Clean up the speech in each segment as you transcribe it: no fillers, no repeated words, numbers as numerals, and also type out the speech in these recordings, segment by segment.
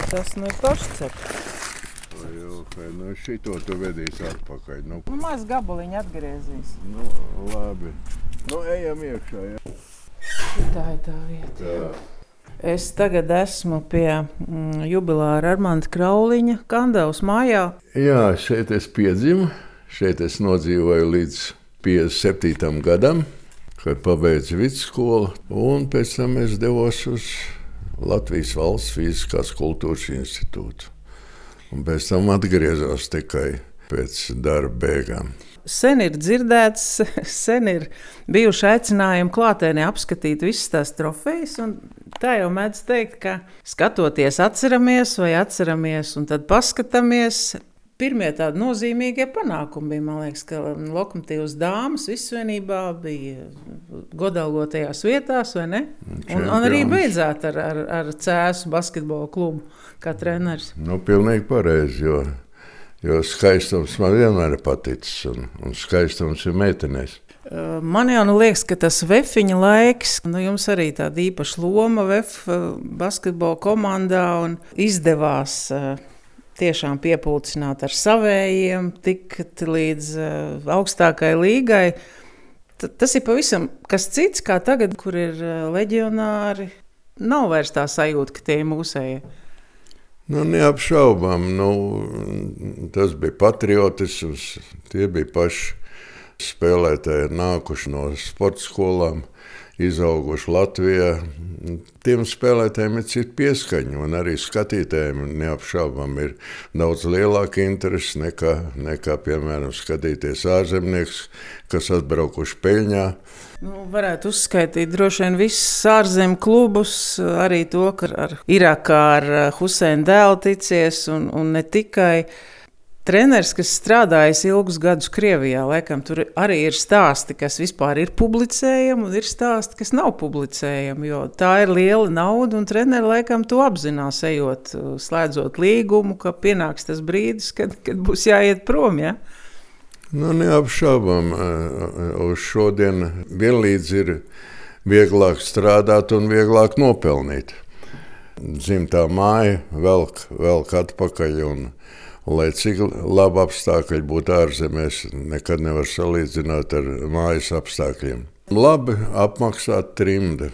Tas ir toršcepts. Nu šito tu vedīsi atpakaļ. Maz gabaliņu atgriezīs. Labi. Ejam iekšā, jā. Tā ir tā vieta. Jā. Es tagad esmu pie jubilāra Armanda Krauliņa Kandavas mājā. Jā, šeit es piedzimu. Šeit es nodzīvoju līdz 57. gadam, kad pabeidzu vidusskolu. Un pēc tam es devos uz Latvijas Valsts Fiziskās kultūras institūtu. Un pēc tam atgriezos tikai pēc darba beigām. Sen ir dzirdēts, sen ir bijuši aicinājumi klātienē apskatīt visas tās trofejas. Tā jau mēdz teikt, ka skatoties atceramies un tad paskatāmies. Pirmie tādi nozīmīgie panākumi bija, man liekas, ka Lokomotīvas dāmas visvienībā bija godalgotajās vietās, vai ne? Un arī beidzāt ar Cēsu basketbola klubu kā treneris. Pilnīgi pareizi, jo skaistums man vienmēr ir paticis, un skaistums ir meitenēs. Man jau liekas, ka tas vefiņa laiks, jums arī tāda īpaša loma VF basketbola komandā un izdevās tiešām piepulcināt ar savējiem, tikt līdz augstākai līgai. Tas ir pavisam kas cits, kā tagad, kur ir leģionāri. Nav vairs tā sajūta, ka tie ir mūsējie. Neapšaubām. Tas bija patriotisms. Tie bija paši spēlētāji, nākuši no sporta skolām, izauguši Latvijā. Tiem spēlētājiem ir cita pieskaņa, un arī skatītājiem neapšaubām ir daudz lielāka interese nekā piemēram, skatīties ārzemnieks, kas atbraukuši peļņā. Varētu uzskaitīt droši vien visus ārzemju klubus, arī to, ka ar Irākā ar Huseinu dēlu ticies, un ne tikai. Treneris, kas strādājis ilgus gadus Krievijā, laikam tur arī ir stāsti, kas vispār ir publicējami, un ir stāsti, kas nav publicējami, jo tā ir liela nauda, un treneri laikam to apzinās, ejot, slēdzot līgumu, ka pienāks tas brīdis, kad būs jāiet prom, ja? Neapšaubām, uz šodien vienlīdz ir vieglāk strādāt un vieglāk nopelnīt. Dzimtā māja velk atpakaļ, un lai cik labi apstākļi būtu ārzemēs, nekad nevar salīdzināt ar mājas apstākļiem. Labi apmaksāt trimda.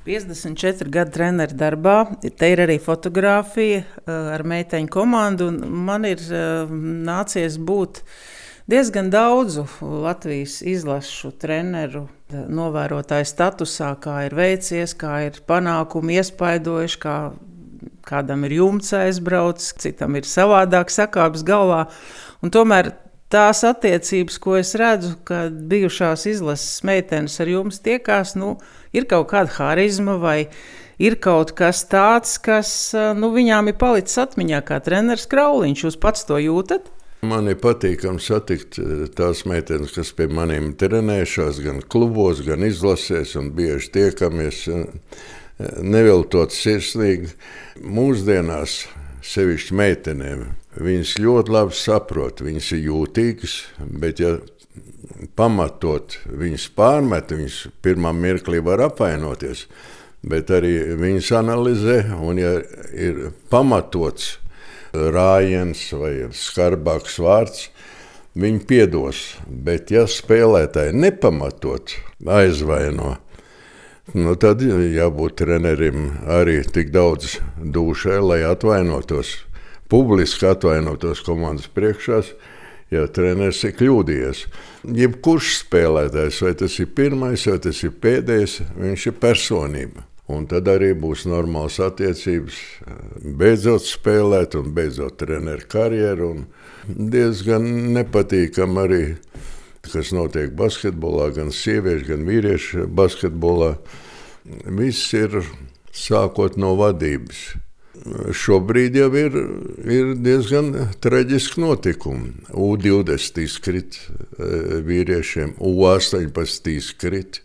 54 gadu treneru darbā, te ir arī fotografija ar meiteņu komandu, un man ir nācies būt diezgan daudzu Latvijas izlašu treneru novērotāju statusā, kā ir veicies, kā ir panākumi iespaidojuši, kādam ir jumts aizbraucis, citam ir savādāk sakāps galvā. Un tomēr tās attiecības, ko es redzu, kad bijušās izlases meitenes ar jums tiekās, ir kaut kāda harizma vai ir kaut kas tāds, kas viņām ir palicis atmiņā kā treneris Krauliņš. Jūs pats to jūtat? Man ir patīkami satikt tās meitenes, kas pie maniem trenējušās gan klubos, gan izlasēs, un bieži tiekamies neviltot sirsnīgi. Mūsdienās, sevišķi meitenēm, viņas ļoti labi saprot, viņas ir jūtīgas, bet ja pamatot viņas pārmet, viņas pirmā mirklī var apvainoties, bet arī viņas analizē, un ja ir pamatots rājiens vai skarbāks vārds, viņi piedos, bet ja spēlētāji nepamatot aizvaino, tad jābūt trenerim arī tik daudz dūšai, lai atvainotos, publiski atvainotos komandas priekšās, ja treneris ir kļūdījies. Jebkurš spēlētājs, vai tas ir pirmais, vai tas ir pēdējais, viņš ir personība. Un tad arī būs normāls attiecības, beidzot spēlēt un beidzot treneru karjeru. Un diezgan nepatīkam arī, kas notiek basketbolā, gan sieviešu, gan vīriešu basketbolā. Viss ir sākot no vadības. Šobrīd jau ir diezgan traģiski notikumi. U20 izkrit vīriešiem, U18 izkrit.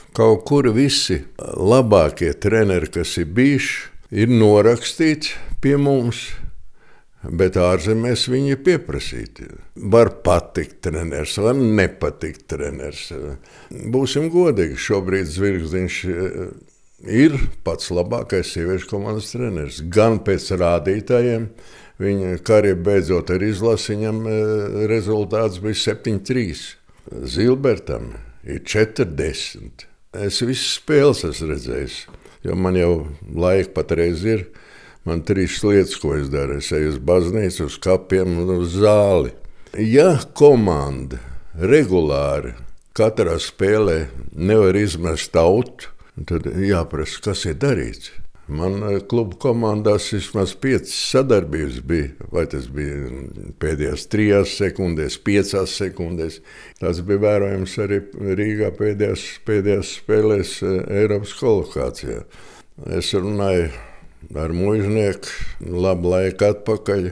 Kaut kur visi labākie treneri, kas ir bijuši, ir norakstīti pie mums. Bet ārzemēs viņi ir pieprasīti. Var patikt treneris, var nepatikt treneris. Būsim godīgi, šobrīd Zvirgzdiņš ir pats labākais sieviešu komandas treneris. Gan pēc rādītājiem, viņa karjera beidzot ar izlasi, viņam rezultāts bija 7-3. Zilbertam ir 40. Es visas spēles esmu redzējis, jo man jau laika patreiz ir. Man 3 lietas, ko es daru. Es eju uz baznīcu, uz kapiem un uz zāli. Ja komanda regulāri katrā spēlē nevar izmest tautu, tad jāprasa, kas ir darīts. Man klubu komandās vismaz 5 sadarbības bija, vai tas bija pēdējās 3 sekundēs, 5 sekundēs. Tas bija vērojams arī Rīgā pēdējās spēlēs Eiropas kvalifikācijā. Es runāju ar muižnieku labu laiku atpakaļ.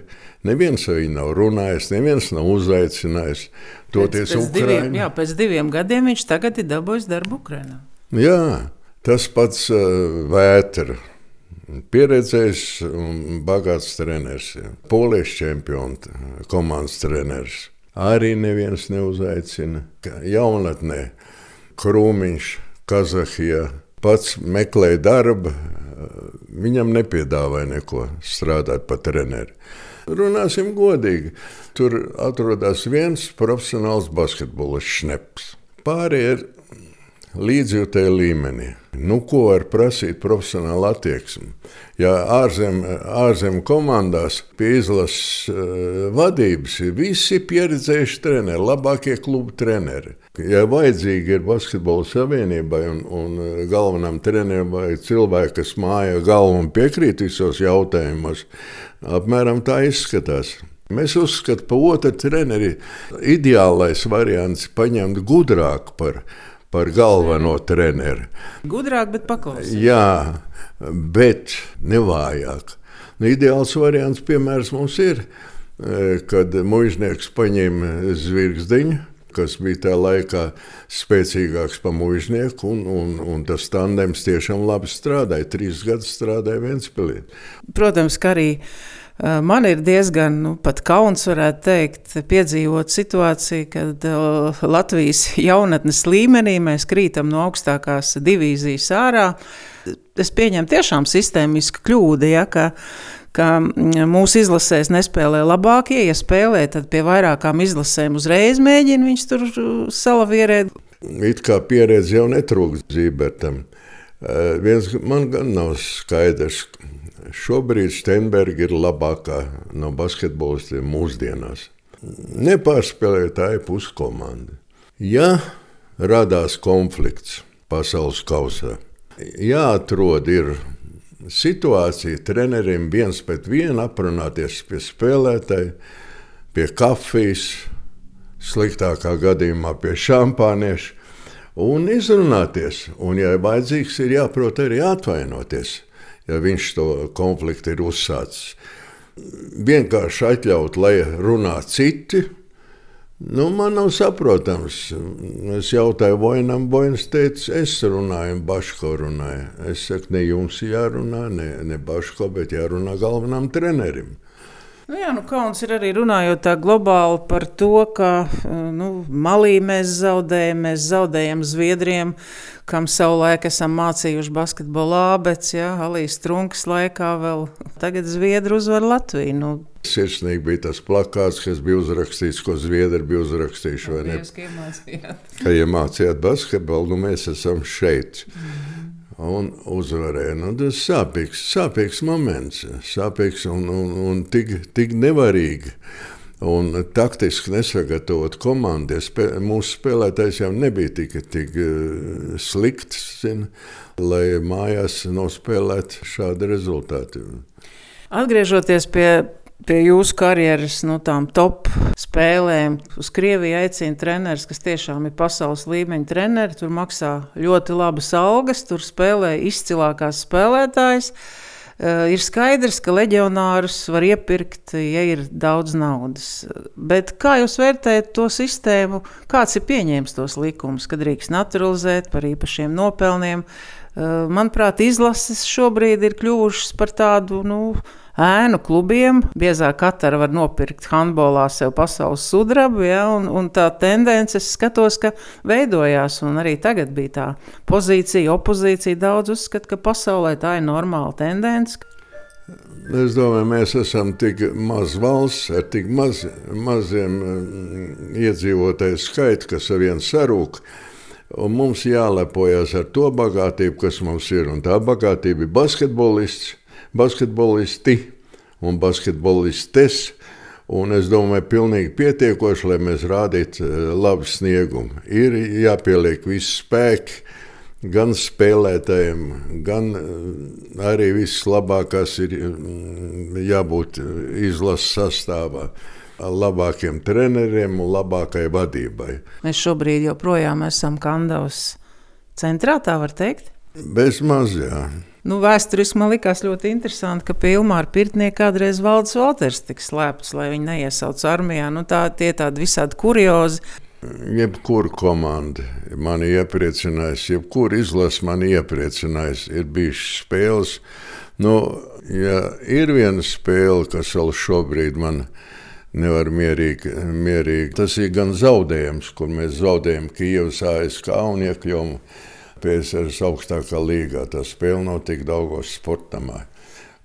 Neviens ar viņu nav runājis, neviens nav uzaicinājis. Toties Ukraiņu. Pēc 2 gadiem viņš tagad ir dabūjis darbu Ukrainā. Jā, tas pats Vētra. Pieredzējis un bagāts treneris. Polijas čempions, komandas treneris. Arī neviens neuzaicina. Jaunatnē Krūmiņš, Kazahijā pats meklēja darbu. Viņam nepiedāvāja neko strādāt par treneri. Runāsim godīgi. Tur atrodas viens profesionāls basketbolists Šneps. Pārējie ir līdzjūtēji līmenī. Ko var prasīt profesionāla attieksme? Ja ārzem komandās pie izlases vadības ir visi pieredzējuši treneri, labākie klubu treneri. Ja vajadzīgi ir basketbola savienībai un galvenam trenerim vai cilvēki, kas māja galvu un piekrīt visos jautājumos, apmēram tā izskatās. Mēs uzskatām, pa otru treneri ideālais variants paņemt gudrāku par galveno treneri. Gudrāk, bet paklausīt. Jā, bet nevājāk. Ideāls variants, piemērs mums ir, kad muižnieks paņēma Zvirgzdiņu, kas bija tā laikā spēcīgāks par muižnieku, un tas tandems tiešām labi strādāja. 3 gadus strādāja Ventspilī. Protams, ka arī man ir diezgan pat kauns, varētu teikt, piedzīvot situāciju, kad Latvijas jaunatnes līmenī mēs krītam no augstākās divīzijas ārā. Es pieņemu tiešām sistēmisku kļūdu, ka mūsu izlasēs nespēlē labākie. Ja spēlē, tad pie vairākām izlasēm uzreiz mēģina viņš tur salavierēt. It kā pieredze jau netrūkst Zībertam. Man gan nav skaidrs. Šobrīd Steinberga ir labākā no basketbolistiem mūsdienās. Nepārspēlētāja puskomanda. Ja radās konflikts pasaules kausā, jāatrod ir situācija treneriem 1-1 aprunāties pie spēlētāja, pie kafijas, sliktākā gadījumā pie šampānieša un izrunāties. Un, ja vajadzīgs, ir jāprot arī atvainoties, ja viņš to konfliktu ir uzsācis. Vienkārši atļaut, lai runā citi, man nav saprotams. Es jautāju Vojnam, Vojns teica, es runāju, Baško runāju. Es saku, ne jums jārunā, ne Baško, bet jārunā galvenam trenerim. Kauns ir arī runājot tā globāli par to, ka Malī mēs zaudējam Zviedriem, kam savulaik esam mācījuši basketbolu ābec, Alijas Trunkas laikā vēl. Tagad Zviedri uzvar Latviju. Sirsnīgi bija tas plakāts, kas bija uzrakstīts, ko Zviedri bija uzrakstījuši, vai ne? Ka iemācījāt basketbolu, mēs esam šeit. Un uzvarēja. Tas sāpīgs moments, sāpīgs un tik nevarīgi. Un taktiski nesagatavot komandi. Mūsu spēlētājs jau nebija tik slikts, lai mājās nospēlētu šādu rezultātu. Atgriežoties pie jūsu karjeras, tām top spēlēm, uz Krieviju aicina treneris, kas tiešām ir pasaules līmeņa treneri, tur maksā ļoti labas algas, tur spēlē izcilākās spēlētājas. Ir skaidrs, ka leģionārus var iepirkt, ja ir daudz naudas. Bet kā jūs vērtējat to sistēmu? Kāds ir pieņēmis tos likumus, kad drīkst naturalizēt par īpašiem nopelniem? Manuprāt, izlases šobrīd ir kļuvušas par tādu, ēnu klubiem. Biezā Katara var nopirkt handbolā sev pasaules sudrabu, ja, un tā tendence, es skatos, ka veidojās, un arī tagad bija tā pozīcija, opozīcija. Daudz uzskata, ka pasaulē tā ir normāla tendence. Es domāju, mēs esam tik maz valsts ar tik maziem iedzīvotāju skaitu, kas ar vienu sarūk. Un mums jālepojas ar to bagātību, kas mums ir. Un tā bagātība ir basketbolisti un basketbolistes. Un es domāju, pilnīgi pietiekoši, lai mēs rādītu labu sniegumu. Ir jāpieliek visi spēki, gan spēlētājiem, gan arī viss labākās ir jābūt izlases sastāvā. Labākiem treneriem un labākai vadībai. Mēs šobrīd joprojām esam Kandavas centrā, tā var teikt? Bez maz, jā. Vēsturiski man likās ļoti interesanti, ka pie Ilmāra Pirtnieka kādreiz Valdis Valters tika slēpts, lai viņi neiesauc armijā. Tie tādi visādi kuriozi. Jebkura komanda mani iepriecinājis, jebkura izlase mani iepriecinājis. Ir bijušas spēles. Ja ir viena spēle, kas vēl šobrīd man nevar mierīgi. Tas ir gan zaudējums, kur mēs zaudējam Kijevas ASK un iekļuvām PSRS augstākā līgā. Tā spēle nav tik Daugavas sportamā.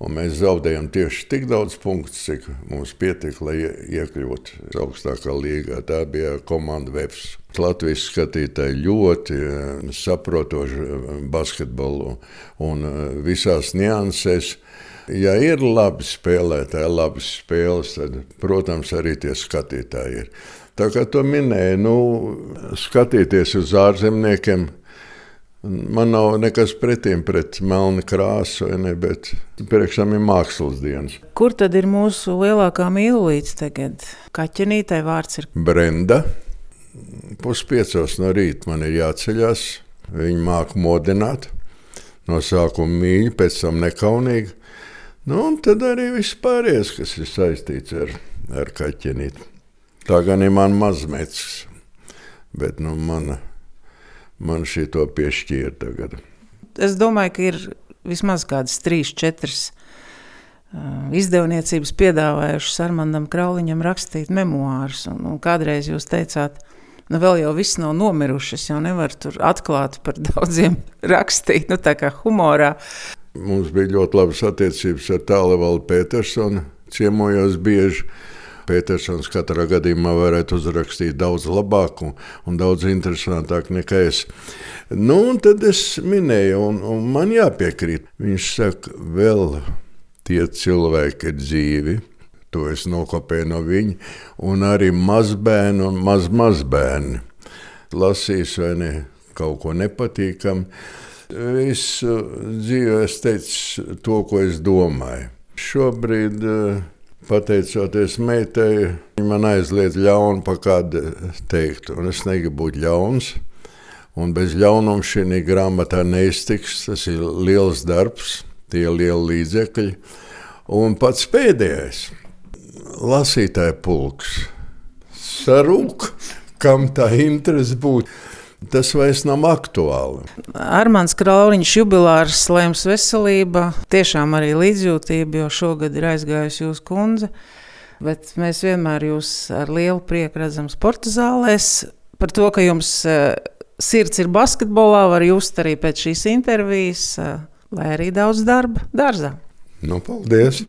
Un mēs zaudējam tieši tik daudz punktus, cik mums pietika, lai iekļūtu augstākā līgā. Tā bija komanda Vefs. Latvijas skatītāji ļoti saprotoši basketbolu un visās niansēs. Ja ir labi spēlētāji, labas spēles, tad, protams, arī tie skatītāji ir. Tā kā to minēju, skatīties uz ārzemniekiem, man nav nekas pretim pret melnu krāsu, bet priekšām ir mākslas dienas. Kur tad ir mūsu lielākā mīlulīte tagad? Kaķenītei vārds ir Brenda. 4:30 no rīta man ir jāceļās. Viņa māca modināt. No sākuma mīļi, pēc tam nekaunīgi. Un tad arī viss pārējais, kas ir saistīts ar kaķenīti. Tā gan ir man mazmecis, bet man šito piešķīra tagad. Es domāju, ka ir vismaz kādas 3-4 izdevniecības piedāvājušas Armandam Krauliņam rakstīt memoārus. Un kādreiz jūs teicāt, vēl jau viss nav nomirušas, jau nevar tur atklāt par daudziem rakstīt, tā kā humorā. Mums bija ļoti labas attiecības ar Tālevaldu Petersonu, ciemojos bieži. Petersons katrā gadījumā varētu uzrakstīt daudz labāk un daudz interesantāk nekā es. Un tad es minēju, un man jāpiekrīt. Viņš saka, vēl tie cilvēki ir dzīvi, to es nokopēju no viņa, un arī mazbērni un mazbērni. Lasīs vai ne kaut ko nepatīkam. Visu dzīvi es teicu to, ko es domāju. Šobrīd, pateicoties meitai, viņa man aizliedz ļaunu pa kādu teikt, un es negribu būt ļauns. Un bez ļaunuma šī grāmatā neiztiks, tas ir liels darbs, tie lieli līdzekļi. Un pats pēdējais, lasītāja pulks, sarūk, kam tā interese būtu. Tas vairs nav aktuāli. Armands Krauliņš jubilārs, lai jums veselība, tiešām arī līdzjūtība, jo šogad ir aizgājusi jūsu kundze, bet mēs vienmēr jūs ar lielu prieku redzam sporta zālēs. Par to, ka jums sirds ir basketbolā, var just arī pēc šīs intervijas, lai arī daudz darba dārzā. Paldies!